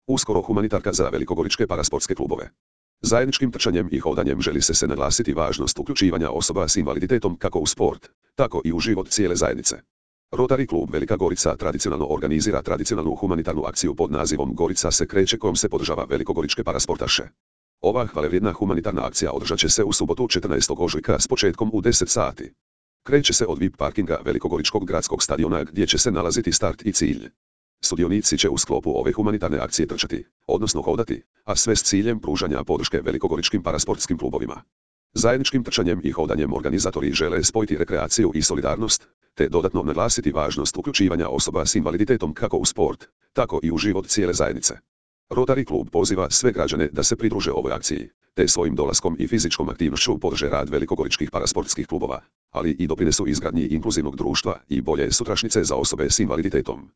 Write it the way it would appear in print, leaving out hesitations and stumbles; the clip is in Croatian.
Uskoro humanitarka za velikogoričke parasportske klubove. Zajedničkim trčanjem i hodanjem želi se naglasiti važnost uključivanja osoba s invaliditetom kako u sport, tako i u život cijele zajednice. Rotary klub Velika Gorica tradicionalno organizira tradicionalnu humanitarnu akciju pod nazivom Gorica se kreće kojom se podržava velikogoričke parasportaše. Ova hvalevrijedna humanitarna akcija održat će se u subotu 14. ožujka s početkom u 10 sati. Kreće se od VIP parkinga Velikogoričkog gradskog stadiona gdje će se nalaziti start i cilj. Sudionici će u sklopu ove humanitarne akcije trčati, odnosno hodati, a sve s ciljem pružanja podrške velikogoričkim parasportskim klubovima. Zajedničkim trčanjem i hodanjem organizatori žele spojiti rekreaciju i solidarnost, te dodatno naglasiti važnost uključivanja osoba s invaliditetom kako u sport, tako i u život cijele zajednice. Rotary klub poziva sve građane da se pridruže ovoj akciji, te svojim dolaskom i fizičkom aktivnošću podrže rad velikogoričkih parasportskih klubova, ali i doprinesu izgradnji inkluzivnog društva i bolje sutrašnjice za osobe s invaliditetom.